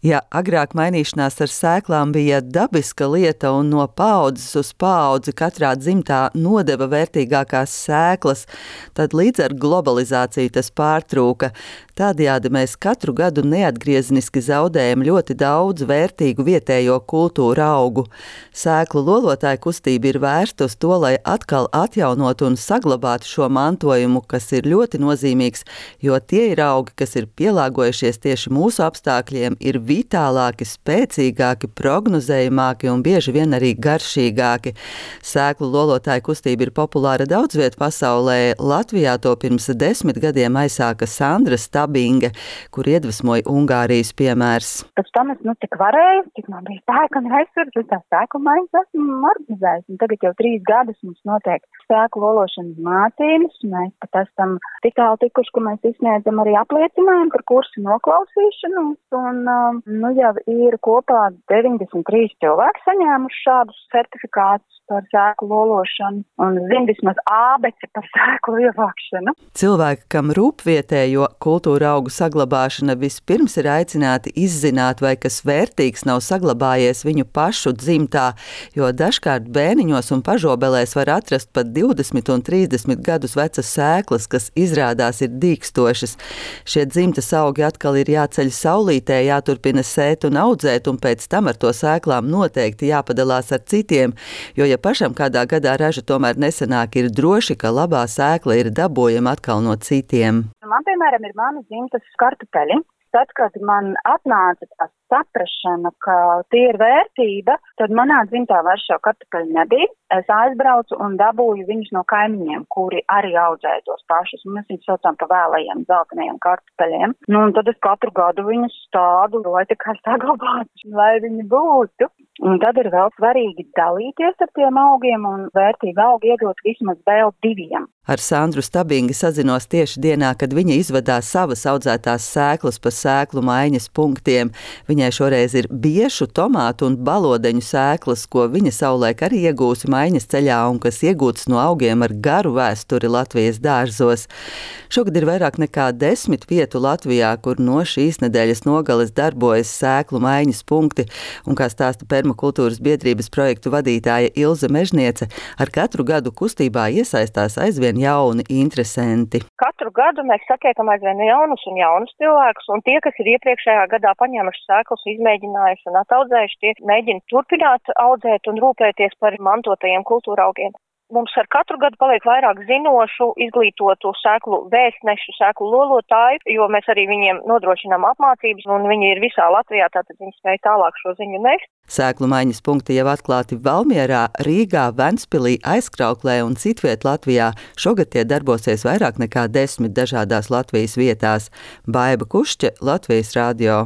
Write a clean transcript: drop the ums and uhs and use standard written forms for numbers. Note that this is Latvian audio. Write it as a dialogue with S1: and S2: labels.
S1: Ja agrāk mainīšanās ar sēklām bija dabiska lieta un no paaudzes uz paudzi katrā dzimtā nodeva vērtīgākās sēklas, tad līdz ar globalizāciju tas pārtrūka. Tādējādi mēs katru gadu neatgriezeniski zaudējam ļoti daudz vērtīgu vietējo kultūru augu. Sēklu lolotāju kustība ir vērsta uz to, lai atkal atjaunotu un saglabātu šo mantojumu, kas ir ļoti nozīmīgs, jo tie ir augi, kas ir pielāgojušies tieši mūsu apstākļiem, ir vitālāki, spēcīgāki, prognozējamāki un bieži vien arī garšīgāki. Sēklu lolotāju kustība ir populāra daudz viet pasaulē. Latvijā to pirms 10 gadiem aizsāka Sandra Stabinge, kur iedvesmoja Ungārijas piemērs.
S2: Pēc tam es tik varēju, cik man bija spēka un resursi, es tā sēklu maiņas esmu organizējis. Un tagad jau 3 gadus mums notiek sēklu lološanas mācības. Mēs pat esam tik tālu tikuši, ka mēs izsniedzam arī apliecinājumu par kursu noklausīšanos. Un jau ir kopā 93 cilvēki saņēmuši šādus certifikātus par sēklu lološanu un zina vismaz ābeci par sēklu ievākšanu.
S1: Cilvēki, kam rūp vietējo kultūra augu saglabāšana, vispirms ir aicināti izzināt, vai kas vērtīgs nav saglabājies viņu pašu dzimtā, jo dažkārt bēniņos un pažobelēs var atrast pat 20 un 30 gadus vecas sēklas, kas izrādās ir dīkstošas. Šie dzimtas augi atkal ir jāceļ saulītē, jāturpina sēt un audzēt, un pēc tam ar to sēklām noteikti jāpadalās ar citiem, jo ja pašam kādā gadā raža tomēr nesanāk, ir droši, ka labā sēkla ir dabojama atkal no citiem.
S2: Man, piemēram, ir mana dzimtas kartupeļi. Tad, kad man atnāca tā saprašana, ka tie ir vērtība, tad manā dzimtā vairs šo kartupeļu nebija. Es aizbraucu un dabūju viņus no kaimiņiem, kuri arī audzēja tos pašus. Mēs viņus saucām pa vēlajiem zeltainajiem kartupeļiem. Un tad es katru gadu viņus stādu, lai tikai saglabātu, lai viņi būtu. Un tad ir vēl svarīgi dalīties ar tiem augiem un vērtīgi augi iedot vismaz vēl 2.
S1: Ar Sandru Stabingi sazinos tieši dienā, kad viņa izvedās savas audzētās sēklas pa sēklu maiņas punktiem. Viņai šoreiz ir biešu, tomātu un balodeņu sēklas, ko viņa savulaik arī iegūsi maiņas ceļā un kas iegūtas no augiem ar garu vēsturi Latvijas dārzos. Šogad ir vairāk nekā 10 vietu Latvijā, kur no šīs nedēļas nogales darbojas sēklu maiņas punkti, un kā stāsta Permakultūras biedrības projektu vadītāja Ilze Mežniece, ar katru gadu kustībā iesaistās aizvien jauni interesanti.
S3: Katru gadu mēs satiekam aizvien jaunus cilvēkus, un tie, kas ir iepriekšējā gadā paņēmuši sēklas, izmēģinājuši un ataudzējuši, tie mēģina turpināt audzēt un rūpēties par mantotajiem kultūra augiem. Mums ar katru gadu paliek vairāk zinošu, izglītotu sēklu vēstnešu, sēklu lolotāju, jo mēs arī viņiem nodrošinām apmācības, un viņi ir visā Latvijā, tātad viņi spēj tālāk šo ziņu nest.
S1: Sēklu maiņas punkti jau atklāti Valmierā, Rīgā, Ventspilī, Aizkrauklē un citviet Latvijā. Šogad tie darbosies vairāk nekā 10 dažādās Latvijas vietās. Baiba Kušķe, Latvijas radio.